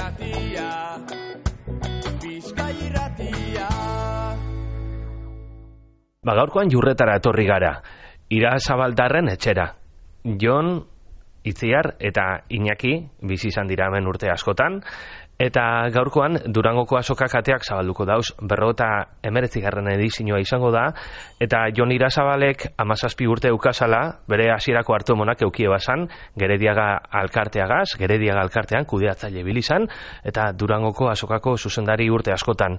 irratia, Bizkai irratia. Gaurkoan Jurretara etorri gara, Irasabaldarren etxera. Jon, Itziar eta Iñaki bizi izan dira hemen urte askotan, eta gaurkoan Durangoko azokak ateak zabalduko dauz, 59. edizioa izango da, eta Jon Irasabalek 17 urte eukazala, bere hasierako hartu emonak eukie bazan, Gerediaga alkartean kudeatzaile bilizan, eta Durangoko azokako zuzendari urte askotan.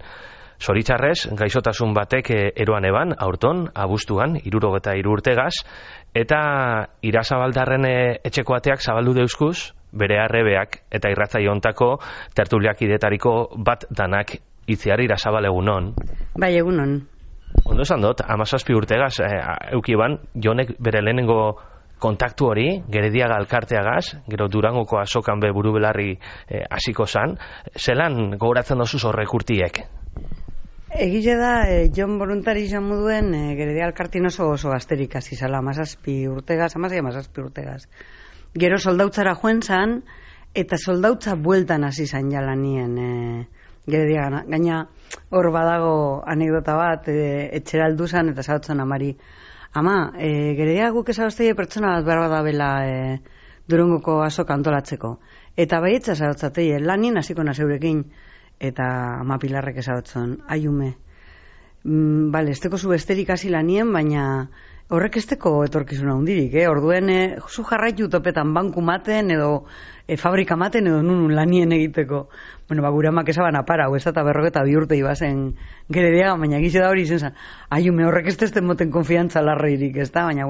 Zoritzarrez, gaixotasun batek eroan eban, aurton, abuztuan, 63 urtegaz, eta Irasabaldarren etxeko ateak zabaldu deuzkuz, bere arrebeak eta irratzaile hontako tertuliak idetariko bat danak. Itziar, Irasabal, egunon. Bai, egunon. Ondo esan dut, 17 urtegaz, eukiban, Jonek bere lehenengo kontaktu hori, Gerediaga alkarteagaz, gero Durangoko azokan be buru belarri hasiko zan, zelan gogoratzen dozuz horrek urtiek? Egile da, Jon voluntari izan moduen, Gerediaga alkartien oso gazterik hasi zala, 17 urtegaz. Gero soldautzara joen zan, eta soldautza bueltan hasi zan jala nien Gerediaga. Gaina hor badago anekdota bat, etxera aldu zan, eta zautzen amari. Ama, Gerediaga guk ezabazteie pertsona bat behar badabela Durangoko azok antolatzeko. Eta baietza zautzateie, lanien hasiko nazeurekin. Eta ama Pilarrek ezagutzen, aiume. Esteko zu besterik hasi lanien, baina horrek esteko etorkizuna hundirik, Orduen, zu jarraitu topetan banku maten, edo fabrika maten, edo nunun lanien egiteko. Gure amak esaban apara, ez eta 42 urte ibazen Gerediaga, baina gize da hori izen zan. Aiume, horrek ez moten konfiantza larreirik, ez da, baina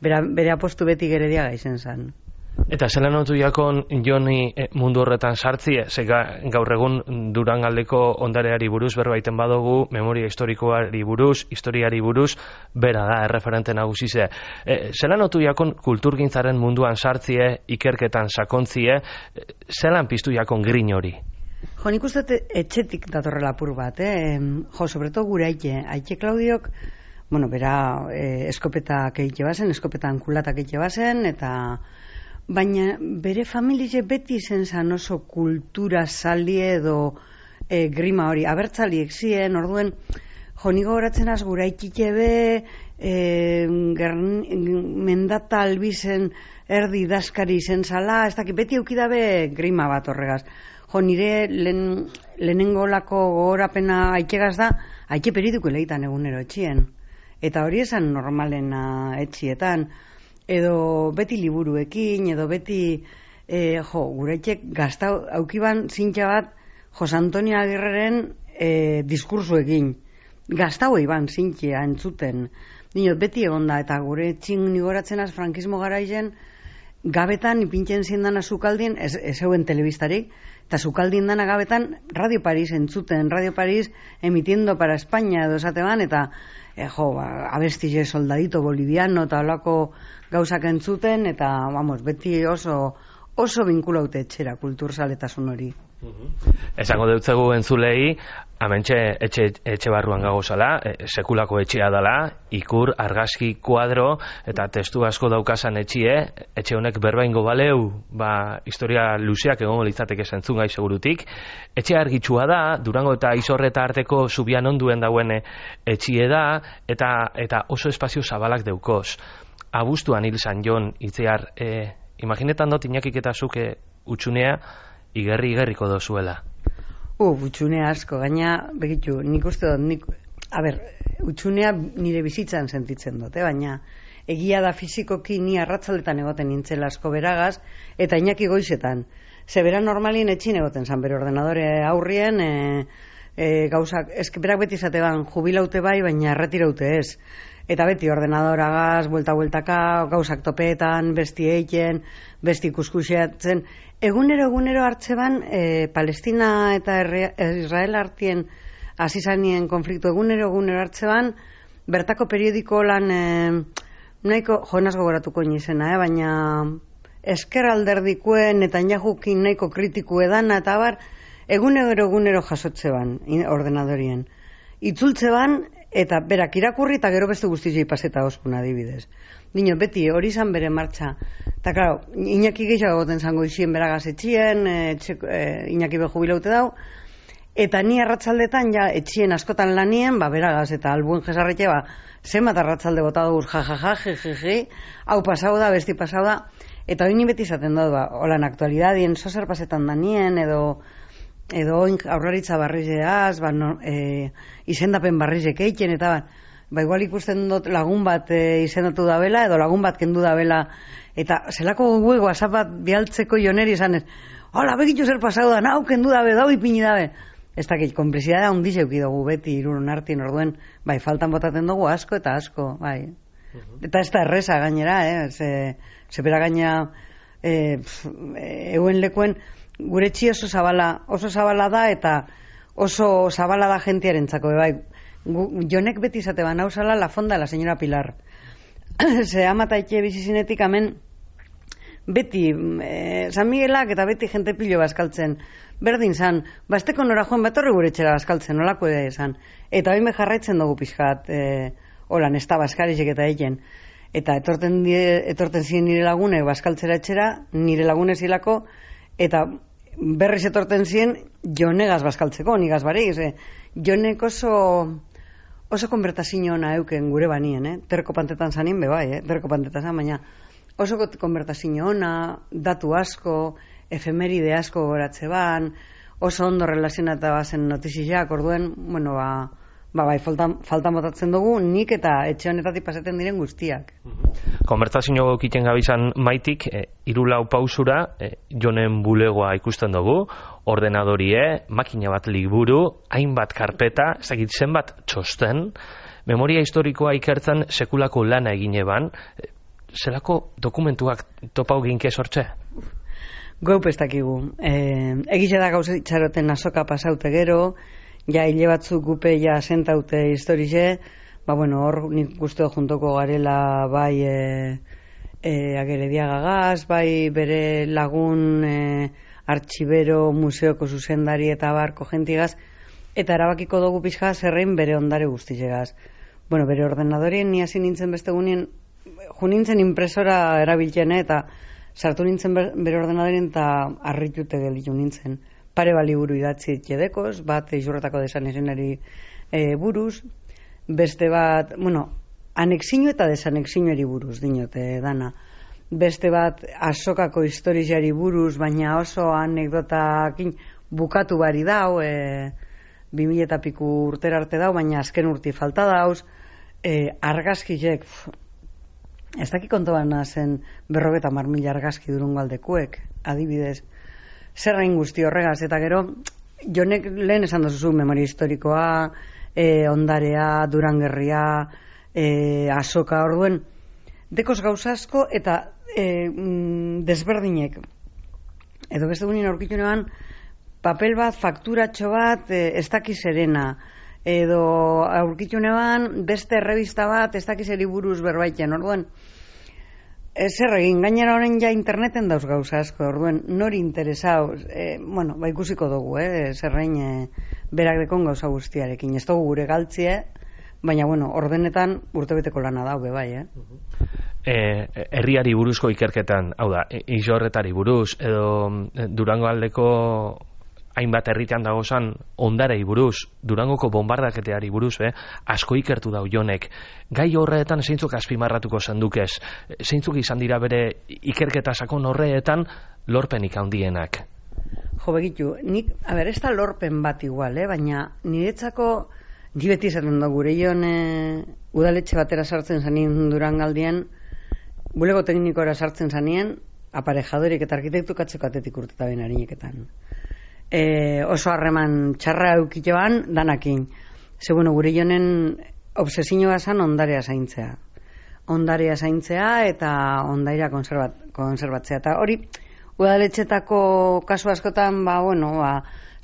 bere apostu beti Gerediaga izen zan. Eta zelan notu jakon Joni mundu horretan sartzie, gaur egun Durangaldeko ondareari buruz berbaiten badugu, memoria historikoari buruz, historiari buruz, bera da, erreferente nagusize. Zelan notu jakon kulturgintzaren munduan sartzie, ikerketan sakontzie, zelan piztu jakon grin hori? Jo, nik uste etxetik datorrela apur bat, sobreto gure aite Klaudiok, bera eskopetak egite bazen, eskopetan kulatak egite bazen, eta baina bere familie beti izen zan oso kultura salie edo grima hori, abertzaliek ziren, orduen, nigo horatzen az gura ikitebe, mendata albizen erdi daskari izen zala, ez dakit beti eukidabe grima bat horregaz. Nire lehenengo lako gogorapena aikegaz da, aike perituko lehitan egunero etxien. Eta hori esan normalena etxietan, edo beti liburuekin, edo beti, guretxek gazta aukiban zintxa bat Jose Antonio Agirreren diskursuekin. Gazta hoi ban zintxea entzuten. Dinot, beti egonda, eta gure txin nigoratzen az frankismo garaizen, gabetan ipintzen zindana zukaldien, ez euen telebistarik, eta zukaldien dana gabetan Radio Paris entzuten, Radio Paris emitiendo para España edo esateban, eta abestize soldadito boliviano eta holako gauzak entzuten, eta beti oso binkulaute etxera kulturzaletasun hori. Esango deutzegu entzulei, hementxe etxe barruan gagozala, sekulako etxea dela, ikur, argazki, kuadro, eta testu asko daukasan etxe honek berbaingo baleu, historia luzeak egongo litzateke zentzungai segurutik. Etxe argitsua da, Durango eta Izorreta arteko zubian onduen dauen etxie da, eta oso espazio zabalak deukoz. Abuztuan hil zan Jon, Itziar, imaginetan dut Iñakik eta zuke utxunea, igerriko dozuela. Utxunea asko, gaina, begitu, nik uste dut, utxunea nire bizitzan sentitzen dut, baina egia da fizikoki ni arratzaletan egoten nintzela asko beragaz, eta Iñaki goizetan. Zebera normalin etxin egoten zan, bere ordenadore aurrien, gauzak, berak beti zateban jubilaute bai, baina erretiraute ez. Eta beti ordenadoragaz, buelta-bueltaka, gauzak topeetan, besti eiken, besti kuskusiatzen. Egunero hartzeban, Palestina eta Israel artien azizanien konfliktu egunero hartzeban, bertako periodiko lan, nahiko, joanaz gogoratuko nizena, baina esker alderdikuen eta inajukin nahiko kritiku edana, eta egunero jasotzeban ordenadorien. Itzultzeban, eta berak irakurri eta gero beste guztiei paseta oskun adibidez. Dino, beti hori izan bere martxa. Eta, klaro, Iñaki gehiago goten zango izien beragaz etxien, Iñaki be jubilaute dau, eta ni arratsaldetan ja etxien askotan lanien, beragaz eta albuen jesarretxe, zenbat arratsalde bota dugu, jejeje, hau pasau da, besti pasau da, eta hori ni beti izaten dut, holan aktualidadien, zozer pasetan danien, edo oin aurraritza barrizeaz, izendapen barrizek eiken, eta igual ikusten dut lagun bat izendatu da bela, edo lagun bat kendu da bela, eta zelako gugu WhatsApp bat bialtzeko joneri izanez, hola, begitu zer pasau da, nau kendu dabe, dau ipini dabe. Ez dakit, konplizidadea hundi zeuki dugu beti irun artin orduen, faltan botaten dugu asko eta asko, bai. Eta ez da erreza gainera, zepera gaina euen lekuen, gure etxi oso zabala da eta oso zabala da jentiarentzako, bai. Jonek beti izate ban hausala la fonda la señora Pilar. Ze amata etxe bizizinetik amen beti San Miguelak eta beti jente pilo bazkaltzen. Berdin zan, esteko nora joan betorri gure etxera bazkaltzen, nolako eda esan. Eta hori me jarraitzen dugu pixkat, holan, ez da bazkarizek eta egen. Eta etorten ziren nire lagune bazkaltzera etxera, nire lagune zilako, eta berriz etorten ziren jonegaz bazkaltzeko, nigaz barik. Jonek oso konbertazio ona euken gure banien, terko pantetan zanin bebai, terko pantetan zan, baina oso konbertazio ona, datu asko, efemeride asko goratze ban, oso ondo relazionata bazen notiziak, orduen, bueno, faltan botatzen dugu, nik eta etxe honetatik pasaten diren guztiak. Konbertazio gokiten gabizan maitik, irulau pausura, jonen bulegoa ikusten dugu, ordenadorie, makina bat liburu, hainbat karpeta, ezagit zenbat txosten, memoria historikoa ikertzen sekulako lana egin eban, zelako dokumentuak topau ginke sortze? Gaup ez dakigu. Egize da gauza itxaroten azoka pasaute gero, ja hile batzuk gupe ja sentaute historize, hor nik guzteo juntoko garela bai Agerediagagaz, bai bere lagun artxibero, museoko zuzendari eta barko jentigaz, eta erabakiko dugu pixka zerrein bere ondare guztizegaz. Bere ordenadorien ni hasi nintzen beste gunien, junintzen impresora erabiltzen eta sartu nintzen bere ordenadorien eta harritute gelitu nintzen. Pare bali buru idatzi etxedekoz, bat izurretako desanexenari buruz, beste bat, anexino eta desanexinoari buruz dinote dana. Beste bat azokako historiari buruz, baina oso anekdotakin bukatu bari dau, 2000 eta piku urtera arte dau, baina azken urti falta dauz, argazkizek, ez daki konto bana zen 50.000 argazki durungo aldekuek, adibidez, zerrain guzti horregaz, eta gero, jonek lehen esan duzu memoria historikoa, ondarea, Durangerria, azoka, orduen, dekoz gauzasko eta desberdinek. Edo beste gunin aurkitu neban, papel bat, fakturatxo bat, ez dakiz erena. Edo aurkitu neban, beste errebista bat, ez dakiz eriburuz berbaiten, orduen, zer egin, gainera horren ja interneten dauz gauza asko, orduen, nori interesau, ikusiko dugu, zerrein berak dekon gauza guztiarekin, ez dugu gure galtzie, baina, ordenetan urtebeteko lana dau, bebai, herriari buruzko ikerketan, hau da, Izorretari buruz, edo Durango aldeko hainbat herritan dagozan ondarei buruz, Durangoko bombardaketeari buruz, asko ikertu dau jonek. Gai horretan zeintzuk azpimarratuko zendukez? Zeintzuk izan dira bere ikerketa sakon horretan lorpenik handienak? Jo, begitu, nik, ez da lorpen bat igual, baina niretzako, ni beti izaten da gure joan udaletxe batera sartzen zanien Durangaldien, bulego teknikora sartzen zanien, aparejadorik eta arkitektukatzeko atetik urteta ben harineketan. Oso harreman txarra eukitean danakin. Ze, gure jonen obsesioa zan ondarea zaintzea. Ondarea zaintzea eta ondaira konserbatzea. Eta hori, udaletxetako kasu askotan,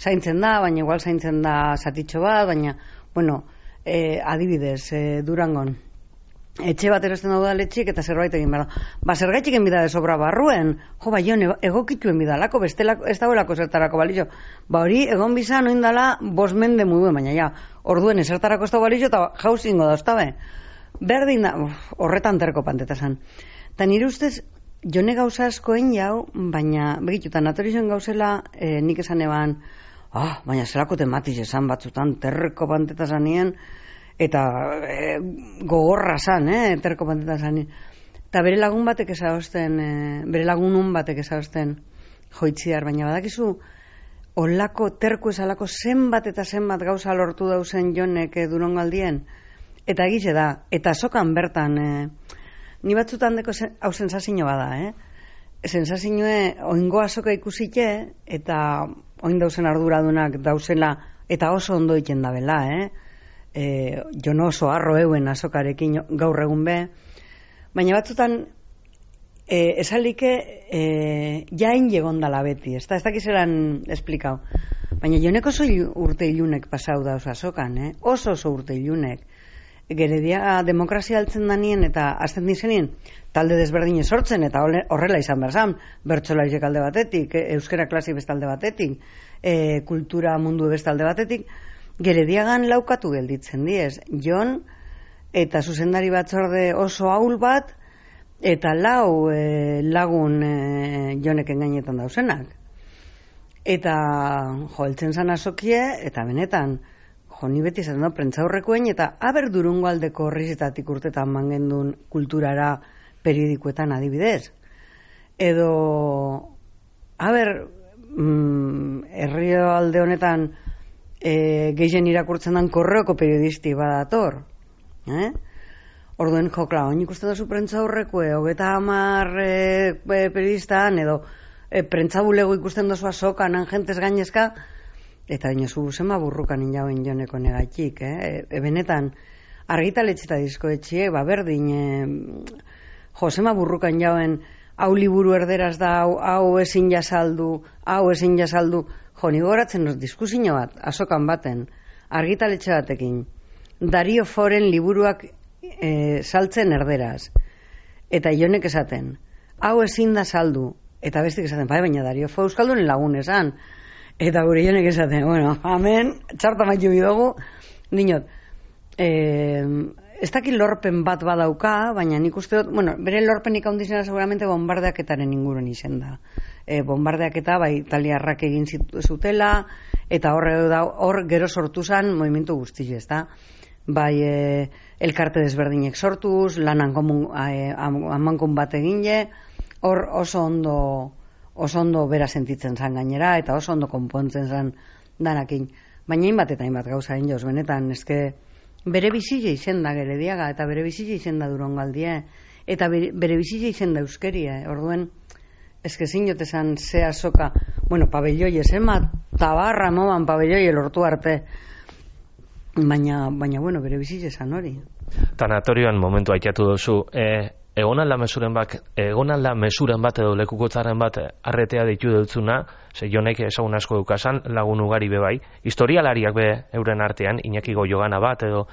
zaintzen da, baina igual zaintzen da zatitxo bat, baina, adibidez, Durangon, etxe bat erosten da udaletxik eta zerbait egin behar da. Ba, zergaitik enbida de sobra barruen, jo, ba, jon, egokituen bidalako, bestelako, ez dagoelako zertarako balizio. Ba, hori, egon bizan oindala 5 mende muduen, baina ja, orduen ezertarako ez dago balizio eta jauzingo da, oztabe. Berdin da, horretan terko pantetasan. Ta nire ustez, jone gauza askoen jau, baina, begitutan, natorizoen gauzela, nik esan eban, baina zelako tematiz esan batzutan, terko pantetasan nien, eta gogorra zan, terko panteta zan. Eta bere lagun batek ezagosten, bere lagunun batek ezagosten joitziar, baina badakizu, olako terko ezalako zenbat eta zenbat gauza lortu dauzen jonek Durangaldien, eta egize da, eta sokan bertan, ni batzutan deko hau sensazio bada, sensazioe oingo azoka ikusite, eta oin dauzen arduradunak dauzela, eta oso ondo iten dabela, jo no oso arro euen azokarekin gaur egun be, baina batzutan esalike jain legondala beti, ez dakizelan esplikau, baina jonek oso urte ilunek pasau da oso azokan, oso urte ilunek, geredia demokrazia altzen danien eta azten dizenien talde desberdine sortzen eta horrela izan berzan, bertsolaizek alde batetik, euskera klasi bestalde batetik, kultura mundu bestalde batetik, gerediagan laukatu gelditzen diez. Jon eta zuzendari batzorde oso ahul bat eta lagun Joneken gainetan dauzenak. Eta heltzen zan azokie eta benetan ni beti esan da prentzaurrekoen eta aber Durangaldeko horrizetatik urtetan mangendun kulturara periodikoetan adibidez. Edo herrialde honetan gehien irakurtzen dan korreoko periodisti badator. Orduen jokla, oin ikusten dozu prentzaurrekoe, 30 periodistan, edo prentzabulego ikusten dozu azokan, jentez gainezka, eta dinozu zema burrukan injauen Joneko negatik, benetan, argitaletxeta diskoetxie, berdin, zema burrukan jauen, hau liburu erderaz da, hau ezin jasaldu, nigo horatzen dut diskusio bat, azokan baten, argitaletxe batekin, Dario Foren liburuak saltzen erderaz, eta Jonek esaten, hau ezin da saldu, eta bestik esaten, baina Dario Fo euskaldunen lagun esan, eta gure Jonek esaten, amen, txarta maitu bidogu, dinot, ez dakit lorpen bat badauka, baina nik uste dut, bere lorpenik handizena seguramente bombardeaketaren inguruen izen da. Bombardeaketa, italiarrak egin zutela, eta hor gero sortu zan movimentu guzti, ez da? Elkarte desberdinek sortuz, lanan amankun bat egin hor oso ondo bera sentitzen zan gainera, eta oso ondo konpontzen zan danakin. Baina hainbat eta hainbat gauza egin joz, benetan, eske bere bizile izen da Gerediaga, eta bere bizile izen da Durangaldie, eta bere bizile izen da euskeria, orduen, eske zinot esan ze azoka, pabelloi esema, tabarra moban pabelloi lortu arte, baina bere bizile esan hori. Tanatorioan momentu aitatu duzu, egon alda mesuren bat edo lekukotzaren bat arretea ditu dutzuna, ze Jonek ezagun asko dukasan, lagun ugari bebai, historialariak be euren artean, Iñaki Goyogana bat edo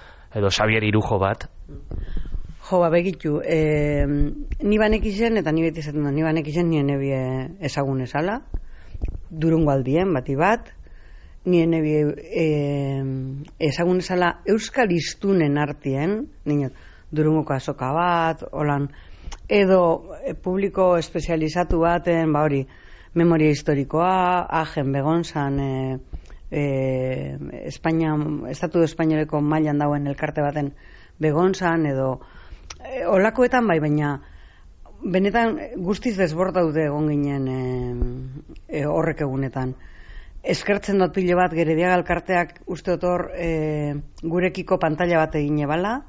Xabier Irujo bat. Jo, begitu, ni banek izen, eta ni beti esaten da, ni banek izen nien ebie ezagun esala, Durangaldien bati bat, nien ebie ezagun esala euskal iztunen artien, ninot, Durangoko azoka bat, holan, edo publiko espezializatu baten, hori, memoria historikoa, agen begonzan, Estatu Espainoleko mailan dauen elkarte baten begonzan, edo olakoetan baina benetan guztiz desbordaude egon ginen horrek egunetan. Eskertzen dut pilo bat Gerediaga elkarteak uste otor gurekiko pantalla bat egin ebala,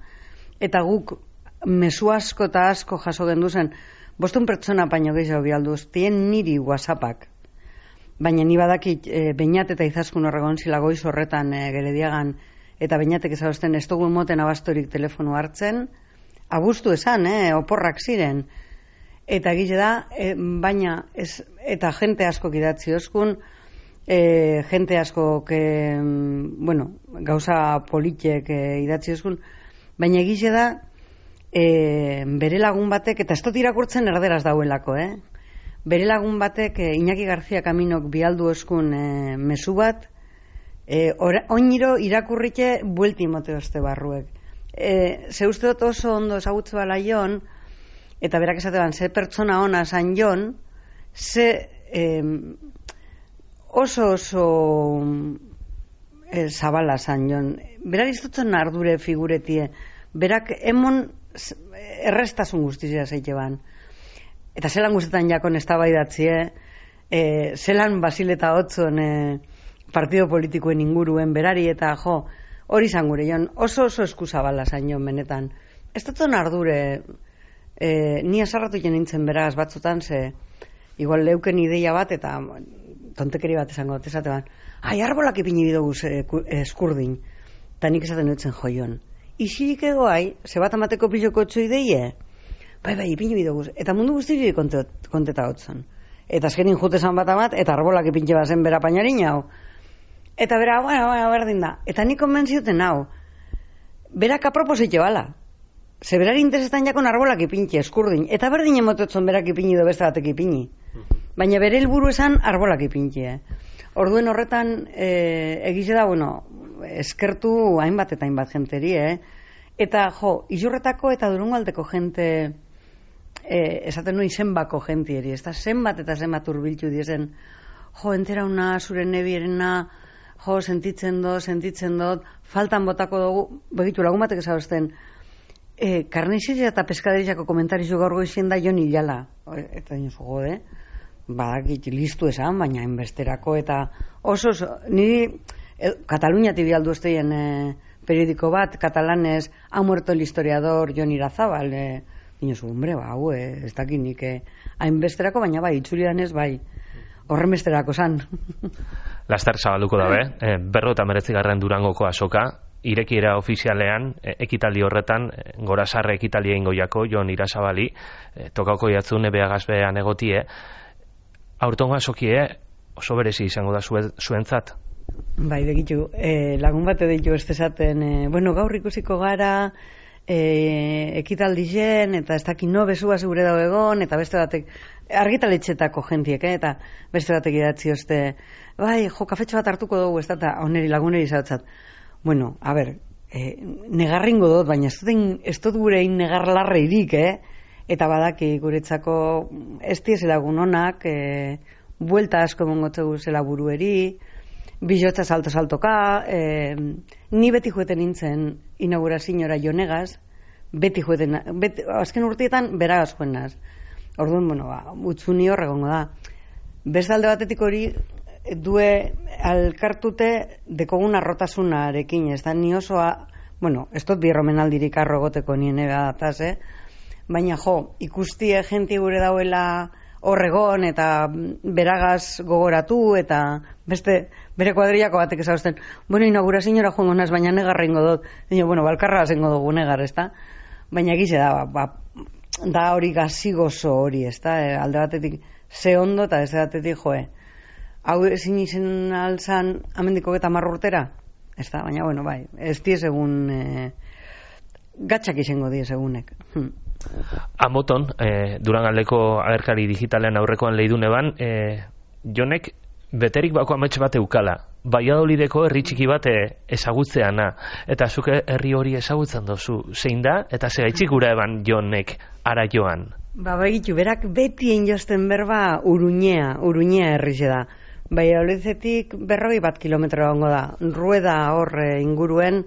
eta guk mezu asko eta asko jaso genduzen, 5 pertsona baino gehiago bialduz, tien niri WhatsAppak. Baina ni badakit Beñat eta Izaskun horregon zila goiz horretan Gerediagan, eta Beñatek ezagusten ez dugu moten abastorik telefonu hartzen, abuztu esan, oporrak ziren. Eta gile da, baina, eta jente asko idatzi oskun, jente asko, gauza politiek idatzi oskun, baina gile da, bere lagun batek, eta ez dut irakurtzen erderaz dauelako, bere lagun batek Iñaki García Kaminok bialdu eskun mezu bat, oiniro irakurrike buelti moteozte barruek. Ze uste dut oso ondo esagutze bala Jon, eta berak esateban, ze pertsona ona zan Jon, ze oso zabala zan Jon. Berak iztutzen ardure figuretie, berak emon errestasun guztizia zeite ban. Eta zelan guztetan jakon eztabaidatzie, zelan Basileta Otzon partido politikoen inguruen berari, eta hori izan gure Jon, oso eskuzabala zain Jon benetan. Ez dutzen ardure, ni asarratu nintzen beraz batzutan, ze igual leuken ideia bat, eta tontekeri bat esango, esate ban, arbolak ipini bidugu eskurdin, eta nik esaten dutzen jo Jon. Isirik egoai, ze bat amateko piloko etxo ideie, bai, ipini bidugu, eta mundu guztiri konteta hotzon. Eta azkenin jutezan bat amat, eta arbolak ipintxe bazen bera painarin hau. Eta bera, berdin da. Eta nik konbentzioten hau, berak apropositxe bala. Ze berari interesetan jakon arbolak ipintxe, eskurdin. Eta berdin emototzen berak ipini edo beste batek ipini. Baina bere helburu esan arbolak ipintxe. Orduen horretan, egize da, eskertu hainbat eta hainbat jenteri, Eta, Izurretako eta Durungaldeko jente, esaten nuen zenbako jentieri, ez da zenbat eta zenbat urbiltu diezen, entera una zure nebierena, sentitzen dut, faltan botako dugu, begitu lagun batek ezabazten, karnizia eta peskaderizako komentarizu gaur goizien da Jon Ilala. Eta dinosu badakit listu esan, baina enbesterako, eta oso, niri Kataluniati bialdu esteien periodiko bat, katalanez, ha muerto el historiador Jon Irazabal, dinosu, ez dakit nik, hainbesterako, baina bai, itzulidanez, bai, horren besterako zan. Laster zabalduko dabe, 59. Durangoko azoka, irekiera ofizialean, ekitaldi horretan, gorazarre ekitaldi egingo jako, Jon Irazabali, tokauko jatzun ebeagazbean egotie, aurtongo azokie oso berezi izango da zuentzat? Bai, begitu, lagun bate ditu ez desaten, gaur ikusiko gara, ekitaldien, eta ez dakit bezua zure dago egon, eta beste batek, argitaletxetako jentiek, eta beste batek idatzi oste, bai, kafetxo bat hartuko dugu, ez da, eta oneri laguneri zautzat. Negarringo dut, baina ez dut gure negar larreirik, eta badaki guretzako ez diezela gunonak, buelta asko mongotzegu zela burueri, bilotza saltoka, ni beti jueten nintzen inaugurazioa Jonegaz, beti jueten, azken urteetan beragaz joen naz. Orduan, utzuni horregongo da. Bestalde batetik hori due alkartute dekogun arrotasunarekin, ez da ni osoa, ez dut birromenaldirik arrogoteko nien egataz, baina ikustie jenti gure dauela horregon eta beragaz gogoratu eta bere kuadrillako batek ezausten, inaugurazioa joango naz, baina negarra ingo dut, balkarra zengo dugu negar, ez da? Baina egize da hori gazigozo hori, ez da? Alde batetik ze ondo eta ez batetik hau ezin izen alzan amendiko eta marrurtera, ez da? Baina, bai, ez diez egun gatxak izango diez egunek. Amoton, Durangaldeko agerkari digitalean aurrekoan lehidune ban, Jonek beterik bako ametxe bat eukala, Valladolideko herri txiki bat ezagutzeana, eta zuke herri hori ezagutzen dozu, zein da, eta zegaitzik gura eban Jonek ara joan? Begitu, berak betien josten berba Uruñea herri da. Valladolidetik 40 kilometro gongo da, Rueda hor inguruen,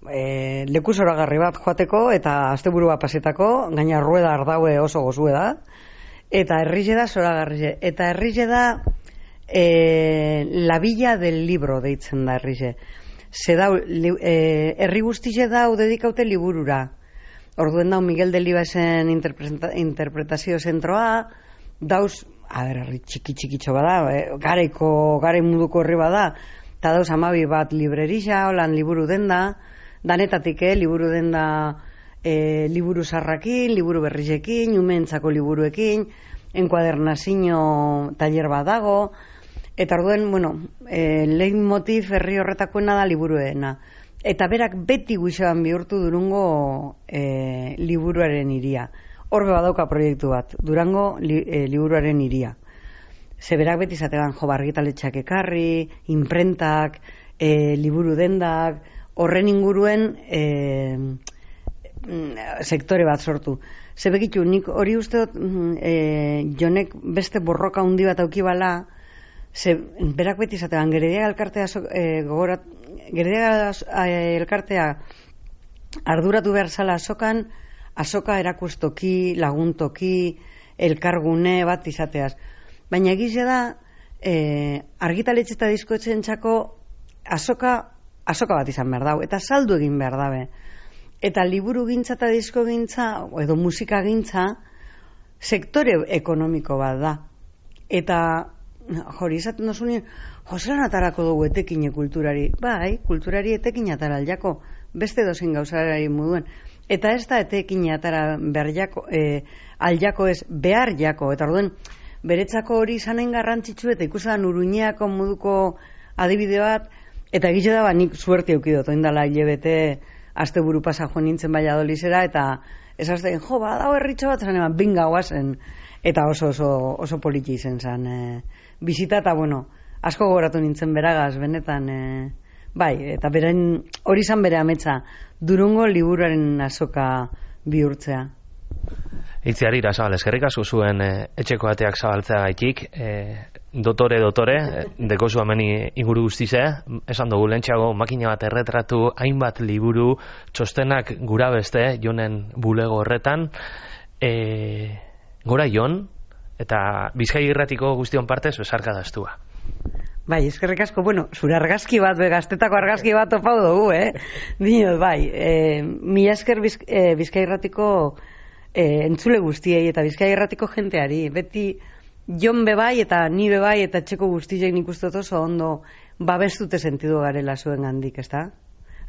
leku zoragarri bat joateko eta asteburua pasetako, gaina Rueda ardaue oso gozue da, eta herrize da zoragarrize, eta herrize da la villa del libro deitzen da herrize. Herri guztize dau dedikaute liburura. Orduen dau Miguel Delibesen interpretazio zentroa, dauz, herri txiki-txikitxo bada, gare munduko herri bada, eta dauz 12 bat librerisa, holan liburu denda, danetatik, liburu denda liburu sarrakin, liburu berrizekin, umentzako liburuekin, enkuadernazio taller bat dago, eta orduen, leitmotiv herri horretakoena da liburuena. eta berak beti guixoan bihurtu Durungo liburuaren hiria. Horbe badauka proiektu bat, Durango liburuaren hiria. Ze berak beti zategan argitaletxeak ekarri, imprentak, liburu dendak, horren inguruen sektore bat sortu. Ze begitu, nik hori uste dut Jonek beste borroka handi bat aukibala, ze berak beti zategan Gerediaga elkartea elkartea arduratu behar zala azokan, azoka erakustoki, laguntoki, elkargune bat izateaz. Baina egize da, argitaletxe eta diskoetxeen txako azoka bat izan behar dau, eta saldu egin behar dabe. Eta liburu gintza eta disko gintza, edo musika gintza, sektore ekonomiko bat da. Eta, hori izaten dozunien, zelan atarako dugu etekine kulturari. Bai, kulturari etekine atara aljako, beste dozin gauzarari moduen. Eta ez da etekine atara aljako ez, behar jako. Eta orduen, beretzako hori izanen garrantzitsu eta ikusan Uruñeako moduko adibide bat, eta egite da nik suerte eukidot, oindala hilebete asteburu pasa joan nintzen Valladolidera, eta esazten, badao herritxo bat zan eman, binga guazen, eta oso politi izen zan bizita, eta asko gogoratu nintzen beragaz, benetan, bai, eta beren hori zan bere ametsa, Durungo liburuaren azoka bihurtzea. Itziar Irasabal, eskerrik asko zuen etxeko ateak zabaltzea gaitik, dotore, dekozu ameni inguru guztize, esan dugu lentxago makina bat erretratu, hainbat liburu, txostenak gura beste, Jonen bulego horretan, gora Jon, eta Bizkai Irratiko guztion partez, besarka daztua. Bai, eskerrik asko, zure argazki bat, gaztetako argazki bat topau dugu, Dinot, bai, mila esker Bizkai Irratiko entzule guztiei eta Bizkai Irratiko jenteari, beti Jon bebai eta ni bebai eta txeko guztiek nik uste oso ondo babestute sentidu garela zuen gandik, ezta?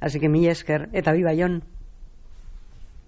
Así que mila esker, eta biba Jon.